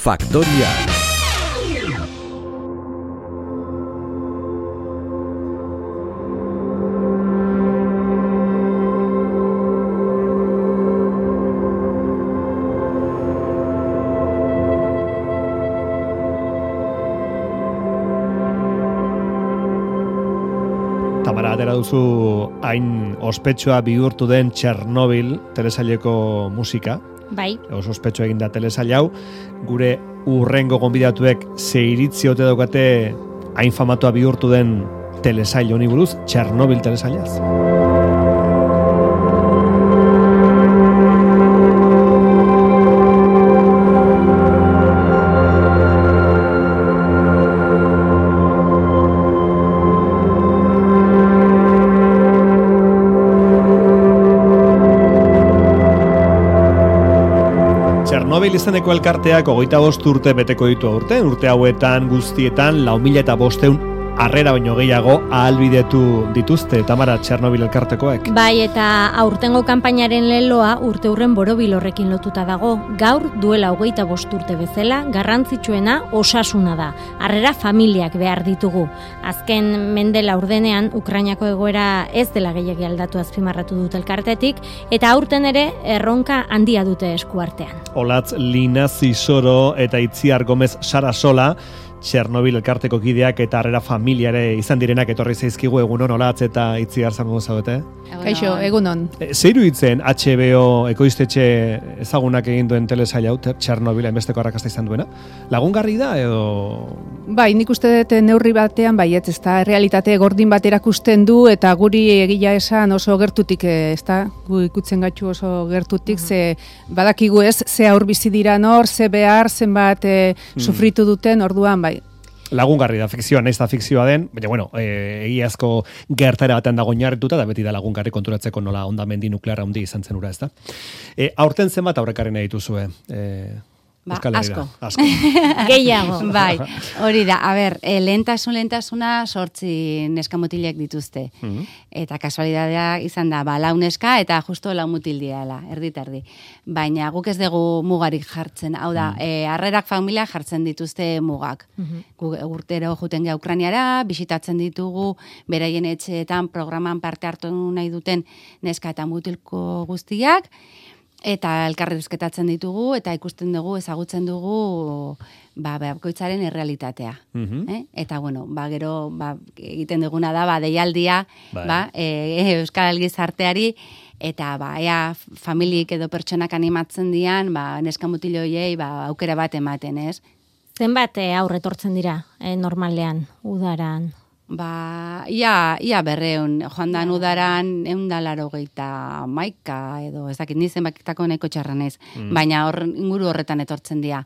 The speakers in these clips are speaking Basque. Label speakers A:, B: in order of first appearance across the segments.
A: Faktoria.
B: Tamara, atera duzu hain ospetsua bihurtu den Txernobil telesaileko musika.
C: Bai.
B: Oso ospetsu egin da telesail hau. Gure urrengo gonbidatuek ze iritzi ote daukate hain famatua bihurtu den telesail honi buruz, Txernobil telesailaz. Txernobil izeneko elkarteak 25 urte beteko ditu aurten, urte hauetan guztietan 4.500 harrera baino gehiago ahalbidetu dituzte, Tamara, Txernobil elkartekoek.
C: Bai, eta aurtengo kanpainaren leloa urte hurren borobil horrekin lotuta dago. Gaur duela 25 urte bezala, garrantzitsuena osasuna da. Harrera familiak behar ditugu. Azken mende laurdenean Ukrainako egoera ez dela gehiegi aldatu azpimarratu dut elkartetik, eta aurten ere erronka handia dute eskuartean.
B: Olatz Lina Zisoro eta Itziar Gomez Sarasola, Txernobil elkarteko kideak eta harrera familiare izan direnak etorri zaizkigu. Egunon, Olatz eta Itziar zango zaudete?
D: Kaixo, egunon.
B: Zeiru hitzen HBO ekoiztetxe ezagunak egin duen telesail hau, Txernobil hainbesteko arrakasta izan duena? Lagungarri da edo?
D: Bai, nik uste dut neurri batean baietz, ez da, realitate gordin bat erakusten du eta guri egia esan oso gertutik, ez da, gu ikutzen gatzu oso gertutik, ze badakigu ez, ze aur bizi dira nor, ze behar, zenbat sufritu duten, orduan, bai.
B: Lagungarri da, fikzioa, nahiz da fikzioa den, baina, bueno, egiazko gertara batean dago oinarrituta, da beti da lagungarri konturatzeko nola ondamendi nuklearra handi izan zen ura, ez da. Aurten zenbat aurrekarren dituzue?
E: Asko.
C: Gehiago.
E: Bai, hori da. A ber, lehentasuna 8 neskamutilek dituzte. Eta kasualidadea izan da, lau neska eta justo 4 mutil diala, erdi. Baina guk ez dugu mugarik jartzen. Hau da, harrerak familia jartzen dituzte mugak. Urtero juten gea Ukrainiara, bisitatzen ditugu, beraien etxeetan programan parte hartu nahi duten neska eta mutilko guztiak, eta elkarrizketatzen ditugu, eta ikusten dugu, ezagutzen dugu, bakoitzaren errealitatea. Eta, bueno, gero, egiten duguna da, deialdia, Euskal Gizarteari, eta, ea, familiek edo pertsonak animatzen dian, neska mutiloiei, aukera bat ematen, ez?
C: Zenbat aurretortzen dira, normalean, udaran?
E: Ia 200, joan dan udaran 180 edo, ez dakit, nizen bakitako neko txarran ez, baina inguru horretan etortzen dira.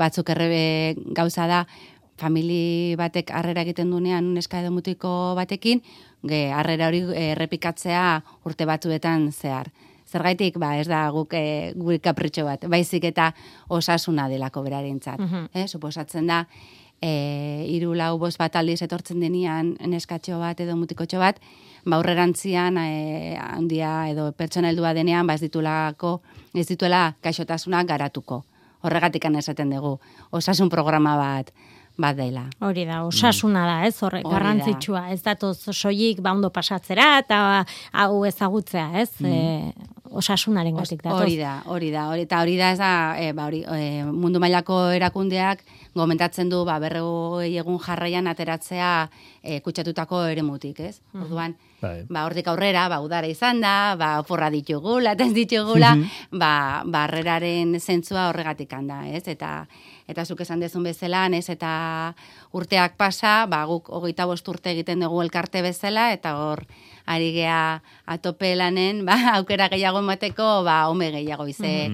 E: Batzuk errebe gauza da, famili batek harrera egiten dunean neska edo mutiko batekin, harrera hori errepikatzea urte batzuetan zehar. Zergaitik, ez da gure kapritxo bat, baizik eta osasuna delako berarentzat. Suposatzen da, 3-4 bat aldiz etortzen denian neskatxo bat edo mutikotxo bat, aurrerantzian handia edo pertsona heldua denean ez dituela gaixotasunak garatuko. Horregatik esaten dugu, osasun programa bat dela.
C: Hori da, osasuna da, ez? Horrek garrantzitsua, ez datoz soilik ondo pasatzera eta hau ezagutzea, ez? Osasunaren gatik datoz.
E: Hori da, ez da, mundu mailako erakundeak gomentatzen du, 40 egun jarraian ateratzea kutsatutako eremutik, ez? Orduan, hortik aurrera, udara izan da, oporra ditugula, eta ez ditugula, harreraren zentzua horregatik handa, ez? Eta zuk esan dezun bezala, ez? Eta urteak pasa, guk 25 urte egiten dugu elkarte bezala, eta hor, ari gea atope lanen, aukera gehiago emateko, home gehiago ize.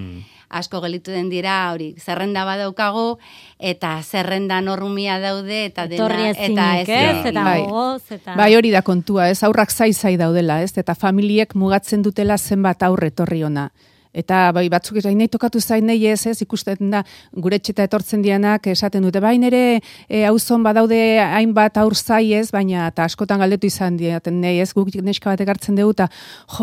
E: Asko gelitu den dira, hori, zerrenda badaukagu, eta zerrenda normia daude, eta dena,
C: etorri ezinik, ez? Eta gogoz, eta...
D: Bai, hori da kontua, ez? Aurrak zai daudela, ez? Eta familiek mugatzen dutela zenbat aurre etorri ona. Eta bai batzuk ere nahi tokatu zain nahi ez, ikusten da gure etxeta etortzen dianak esaten dute, bai nere auzon badaude hainbat aur zai ez, baina eta askotan galdetu izan diaten nahi ez, guk neska bat ekartzen dugu, eta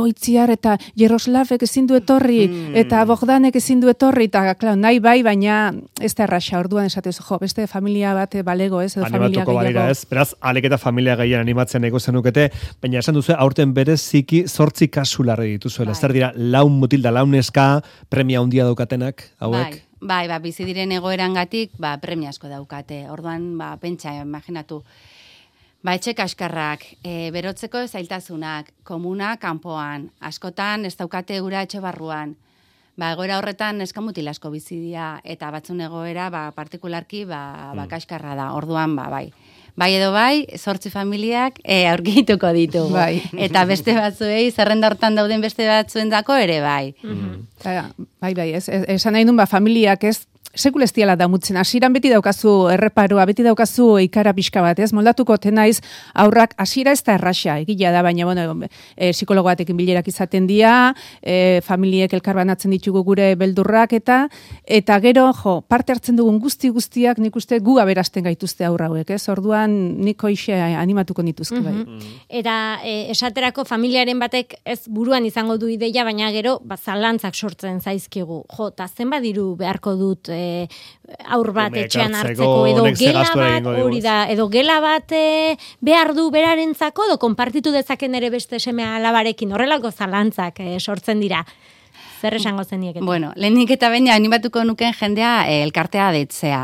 D: Itziar eta Jaroslavek ezin du etorri, eta Bogdanek ezin du etorri, eta klar, nahi bai, baina ez da erraxa, orduan esatez, beste familia bat balego ez, edo familia gehiago.
B: Ez, beraz, aleketa familia gehien animatzen ego zenukete, baina esan duzu, aurten bereziki 8 kasu larri dituzuela, zer dira, laun mutil da laun neska, premia handia daukatenak, hauek?
E: Bai, bizi diren egoerangatik, premia asko daukate, orduan, pentsa, imaginatu, etxe kaskarrak, berotzeko zailtasunak, komuna kanpoan, askotan ez daukate ura etxe barruan, egoera horretan neskamutil asko bizi dira, eta batzun egoera, partikularki, kaskarra da, orduan, bai. Bai edo bai, 8 familiak aurkituko ditu.
D: Bai.
E: Eta beste batzuei, zerrenda hortan dauden beste batzuendako ere bai.
D: Bai, esan nahi duen, familiak ez, sekul ez diala damutzen, hasieran beti daukazu erreparoa, beti daukazu ikara pixka bat, ez? Moldatuko tenaiz aurrak hasiera ez da erraxa, egila da, baina, psikologo batekin bilerak izaten dira, familiek elkarbanatzen ditugu gure beldurrak, eta gero, parte hartzen dugun guztiak, nik uste gu aberazten gaituzte aurra hauek, ez? Orduan, niko ixe animatuko nituzke, bai.
C: Eta esaterako familiaren batek ez buruan izango du ideia, baina gero, zalantzak sortzen zaizkigu. Ta zenbat diru beharko dut aur bat etxean hartzeko, edo gela bat, hori da, edo gela bat behar du berarentzako, edo konpartitu dezaken ere beste seme alabarekin, horrelako zalantzak sortzen dira. Zer esango zeniek?
E: Bueno, lehenik eta baina animatuko nuken jendea elkartea deitzea.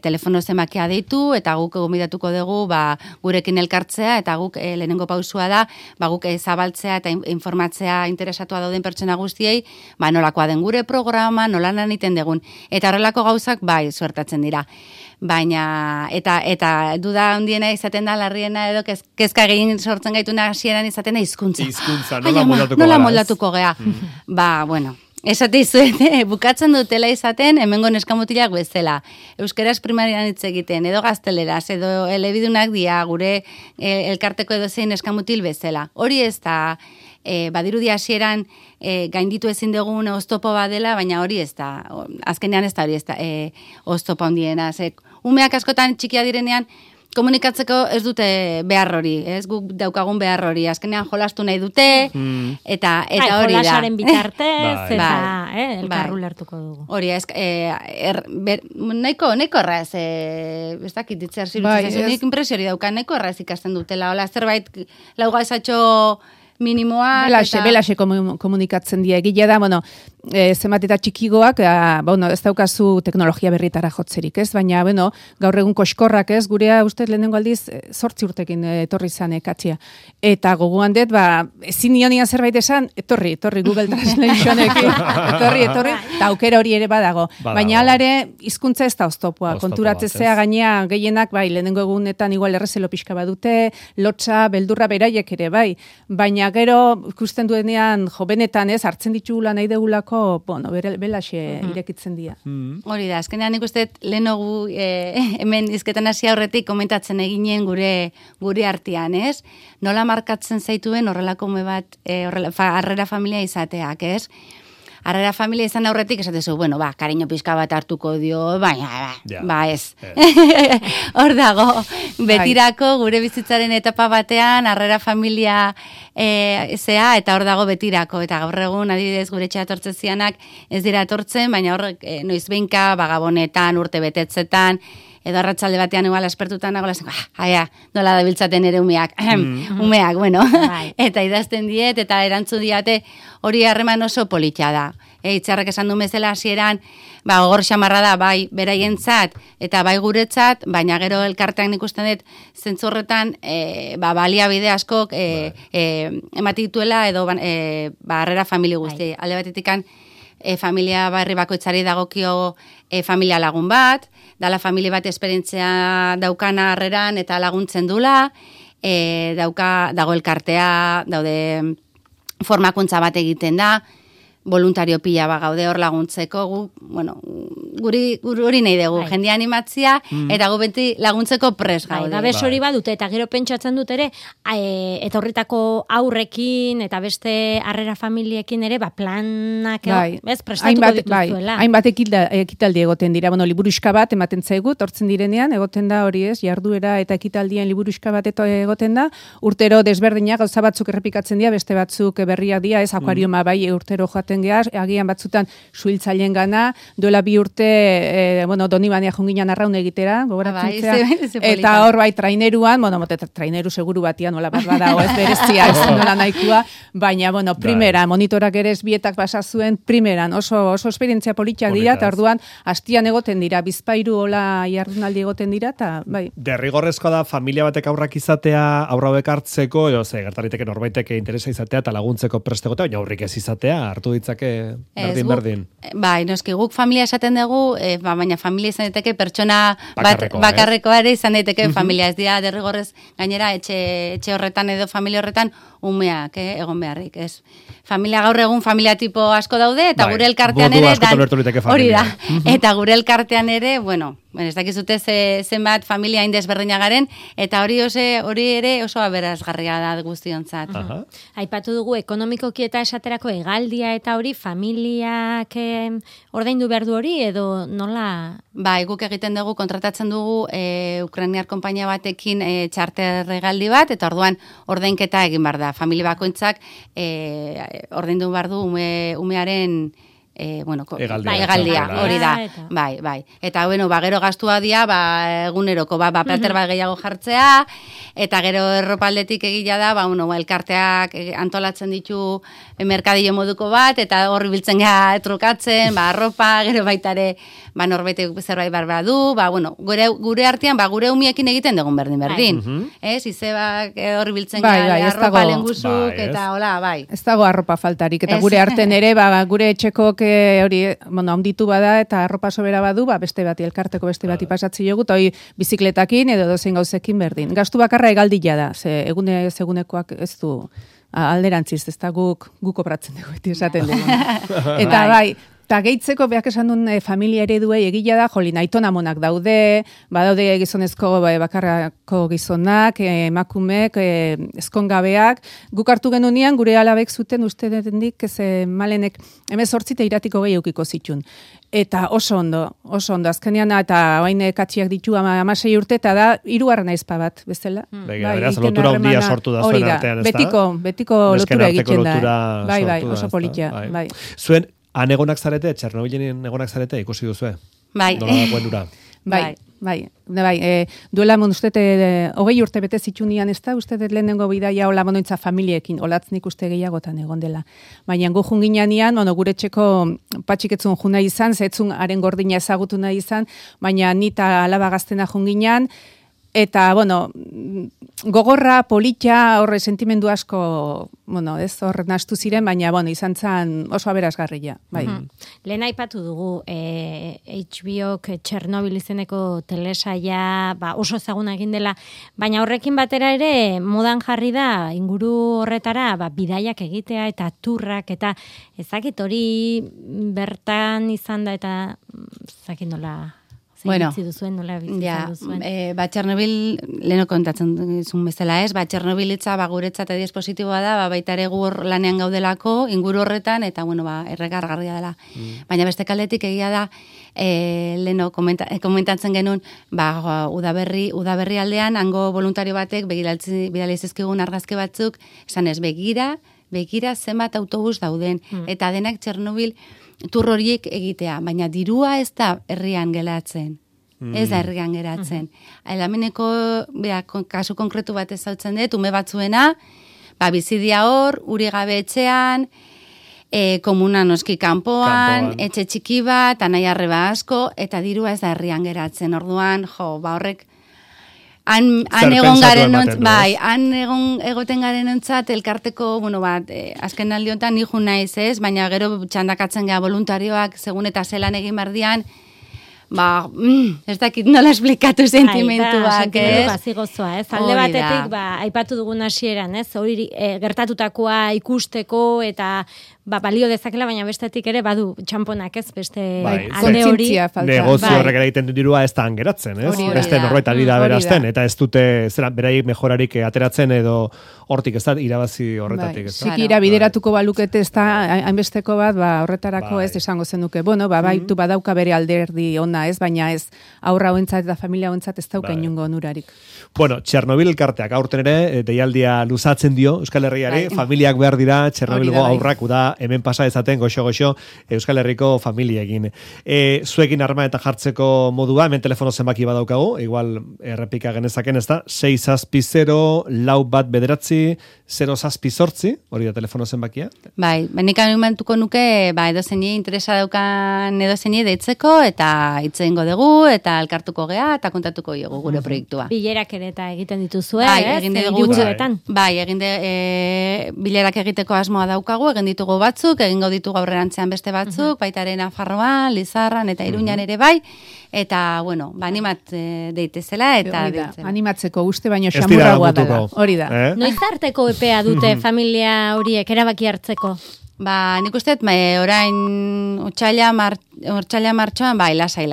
E: Telefono zemakia deitu, eta guk gomidatuko dugu gurekin elkartzea, eta guk lehenengo pausua da, guk zabaltzea eta informatzea interesatua dauden pertsona guztiei, nolakoa den gure programa, nola lan egiten dugun. Eta horrelako gauzak suertatzen dira. Baina, eta duda handiena izaten da, larriena edo kezka egin sortzen gaituna hasieran izaten da hizkuntza. Nola moldatuko gea. Bueno, esate izuet, bukatzen dutela izaten, hemengo neskamutilak bezala. Euskeraz primarian hitz egiten, edo gazteleraz, edo elebidunak dia, gure elkarteko edo zein neskamutil bezala. Hori ez da, badirudi hasieran gainditu ezin dugun oztopo badela, baina hori ez da, azkenean ez da hori ez da, oztopo handiena. Umeak askotan txikia direnean, komunikatzeko ez dute behar hori, ez guk daukagun behar hori, azkenean jolastu nahi dute, eta hori da.
C: Jolasaren bitartez, eta elkarru lertuko dugu.
E: Hori, nahiko erraz, ez dakit ditzer zirutzen, nik impresiori dauka, nahiko erraz ikasten dutela, hola, zerbait lauga esatxo minimoa.
D: Belaxe komunikatzen dira, egila da, zenbat eta txikigoak, ez daukazu teknologia berritara jotzerik, ez? Baina, gaur egun koskorrak, ez? Gurea, ustez, lehenengo aldiz, 8 urtekin etorri zan katxia. Eta gogoan dut, ezin nionian zerbait esan, etorri, Google Translationekin, etorri, eta aukera hori ere badago. Baina alare, hizkuntza ez da oztopoa, konturatzea gainea gehienak, lehenengo egunetan igual errezelo pixka badute, lotxa, beldurra beraiek ere, baina gero, ikusten duenean, benetan ez, hartzen ditugula nahi degulako, belaxe irekitzen dira.
E: Hori da, azkenean ikusten lehenago hemen izketan hasi aurretik komentatzen eginen gure artean, ez? Nola markatzen zaituen horrelako bat, harrera familia izateak, ez? Harrera familia izan aurretik esatezu, kariño pizka bat hartuko dio, baina, ez. Hor dago, betirako gure bizitzaren etapa batean, harrera familia zea, eta hor dago betirako, eta gaur egun, adibidez, gure etxea etortzen zianak, ez dira etortzen, baina horrek noizbeinka, gabonetan, urte betetzetan, edo arratsalde batean igual aspertutan nagola zen, nola da biltzaten ere umeak, eta idazten diet, eta erantzu diate hori harreman oso politia da. Itxarrek esan du bezala hasieran, gogor xamarra da, bai beraientzat, eta bai guretzat, baina gero elkartean ikusten dut, zentzu horretan, baliabide askok emati dituela, edo harrera familia guzti. Alde batetikan, familia barri bakoitzari dagokio familia lagun bat, dala familia bat esperientzia daukana harreran eta laguntzen dula, dago elkartea, daude formakuntza bat egiten da, voluntario pila gaude hor laguntzeko, guri hori nahi dugu, jendea animatzia, eta gu beti laguntzeko pres gaude.
C: Da hori badute, eta gero pentsatzen dut ere, eta horretako aurrekin, eta beste harrera familiekin ere, planak, prestatuko dituzuela.
D: Hainbat ekitaldi egoten dira, liburuxka bat ematen zaigu, tortzen direnean, egoten da hori jarduera eta ekitaldien liburuxka bat egoten da, urtero desberdinak, gauza batzuk errepikatzen dira, beste batzuk berriak dira, akuarioma bai urtero joaten gehar, agian batzutan suhiltzaileen gana, duela 2 urte, Donibania junginan arraun egitera, eta hor bai traineruan, traineru seguru batian, nola bat badago, ez berezia, ez nola nahikoa, baina, primera, monitorak ere esbietak basa zuen, primeran, oso esperientzia politak dira, eta orduan, hastian egoten dira, bizpairu hola jardunaldi egoten dira, eta bai.
B: Derrigorrezkoa da, familia batek aurrak izatea, aurrauek hartzeko, gertariteke norbaitek interesa izatea, eta laguntzeko prestegotea, baina aurrik ez izatea, hartu ditzake berdin.
E: Bai, noski guk familia esaten dugu, baina familia izan daiteke pertsona bakarrekoa ere izan daiteke familia, ez dira derrigorrez gainera etxe horretan edo familia horretan umeak egon beharrik, ez. Familia gaur egun familia tipo asko daude, eta gure elkartean ere, hori da, eta gure elkartean ere, ez dakizute zenbat familia indesberdina garen, eta hori ere oso aberasgarria da guztiontzat.
C: Aipatu dugu ekonomikoki eta esaterako hegaldia eta hori familiak ordaindu behar du hori edo nola?
E: Bai, guk egiten dugu, kontratatzen dugu ukrainiar konpainia batekin txarter hegaldi bat, eta orduan ordainketa egin behar da. Familia bakoitzak ordaindu behar du umearen egaldia, hori da. Bai. Eta gero gastua dia, eguneroko, plater bat gehiago jartzea, eta gero erropaldetik egila da, elkarteak antolatzen ditu merkadillo moduko bat, eta horri biltzen geha trukatzen, arropa, gero baitare, norbaitek zerbait barba du, gure artean, gure umiekin egiten dugun berdin. Ez, izebak horri biltzen geha arropa lenguzuk, eta hola, bai.
D: Ez dago arropa faltarik, eta gure artean ere, gure etxekok hori, handitu bada eta arropa sobera badu, beste bati, elkarteko beste bati pasatzi jogut, hori bizikletakin edo dozein gauzekin berdin. Gastu bakarra egaldila da, egunekoak ez du alderantziz, ez da guk opratzen dugu, esaten dugu. Eta bai, eta gehitzeko behak esan duen familia ereduei egila da, aitona monak daude, badaude gizonezko bakarrako gizonak, emakumek, ezkongabeak, guk hartu genunean, gure alabek zuten uste detendik, malenek 18 iratiko gehi eukiko zitun. Eta oso ondo, azkenean, eta hain katxiak ditu 16 urte, eta da, 3. aizpa bat, bezala.
B: Beraz, lotura handia sortu da zuen artean, ez da?
D: Betiko lotura egiten da. Bai, oso politia.
B: Zuen, han egonak zarete, Txernobilen egonak zarete, ikusi duzue?
E: Bai.
B: Nola dagoen ura?
D: Bai. Duela ustete 20 urte bete zitunian ez da, ustete lehenengo bidaia hola monoitza familiekin, olatznik uste gehiagotan egon dela. Baina gu junginean, gure txeko patxiketzun juna izan, zetzun haren gordina ezagutu nahi izan, baina nita alaba gaztena junginean, eta, gogorra, politia, horre sentimendu asko, horre nastu ziren, baina, izan zen oso aberasgarria, bai.
C: Lehen aipatu dugu, HBO-k Txernobil izeneko telesaia, oso ezaguna egin dela, baina horrekin batera ere, modan jarri da, inguru horretara, bidaiak egitea, eta turrak, eta ezakit hori bertan izan da, eta ezakit nola... duzuen, nola bizitzen duzuen.
E: Txernobil, leheno kontatzen duzun bezala ez, Txernobil itza guretzat edi espositiboa da, baita ere gu lanean gaudelako, inguru horretan, eta erregargarria dela. Baina beste kaldetik egia da, leheno komentatzen genuen, udaberri aldean, hango voluntario batek, bidali zizkigun argazki batzuk, esan ez, begira zenbat autobus dauden, eta denak Txernobil tur horiek egitea, baina dirua ez da herrian geratzen. Ez da herrian geratzen. Elameneko, kasu konkretu bat ezautzen dut, ume batzuena, bizidia hor, uri gabe etxean, komuna noski kanpoan, etxe txiki bat, anai arreba asko, eta dirua ez da herrian geratzen. Orduan, horrek, han egoten garen ontzat, elkarteko, azken aldiontan nijo naiz ez, baina gero txandakatzen gara voluntarioak, segun eta zelan egin bardian, ez dakit nola esplikatu sentimentuak,
C: ez? Gozoa, ez? Alde batetik, aipatu dugun hasieran, ez? Hori gertatutakoa ikusteko eta balio dezakela, baina bestetik ere badu txamponak, ez? Beste alde hori.
B: Negozio horrek ere egiten dirua ez da angeratzen, ez? Beste norbait ari da berazten, eta ez dute beraik mejorarik ateratzen edo hortik ez da irabazi horretatik, ez da?
D: Zikira bideratuko balukete ez da hainbesteko bat, horretarako ez esango zenuke. Bueno, baitu badauka bere alderdi ona, ez? Baina ez aurra hoentzat eta familia hoentzat ez dauka inongo onurarik.
B: Bueno, Txernobil elkarteak aurten ere deialdia luzatzen dio Euskal Herriari, familiak behar dira Txernobilgo aurrak da hemen pasa ezaten goxo-goxo Euskal Herriko familiekin. Zuekin arma eta jartzeko modua, hemen telefono zenbaki badaukagu, igual errepika genezaken ez da, 6-0-4-9-0-0-8, hori da telefono zenbakia?
E: Bai, benik animatuko nuke, edozeini interesa daukan edozeini deitzeko, eta itzengo dugu, eta elkartuko gea, eta kontatuko dugu gure proiektua.
C: Bilerak ere eta egiten dituzue,
E: egin dugu bilerak egiteko asmoa daukagu, egin ditugu batzuk, egingo ditugu aurrerantzean beste batzuk, baitaren Nafarroan, Lizarran eta Iruñan ere bai, eta, bueno, animat deitezela, eta
D: animatzeko uste baino xamurragoa dela. Hori da.
C: Noiz arteko epea dute familia horiek erabaki hartzeko?
E: Nik uste, orain otsaila martxoan, lasai.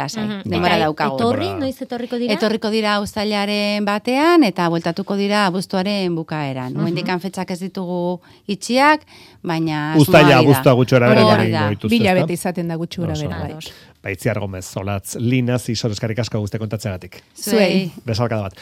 E: Denbora daukagu.
C: Noiz etorriko dira?
E: Etorriko dira uztailaren batean, eta bueltatuko dira abuztuaren bukaeran. Momendikan fetxak ez ditugu itxiak, baina
B: uztaila abuztua gutxora bera.
D: Bila bete izaten da gutxura bera.
B: Baitziar Gomez, Olatz, Linaz, Isor eskarrik asko guzti kontatzeagatik.
E: Zuei.
B: Bezalkada bat.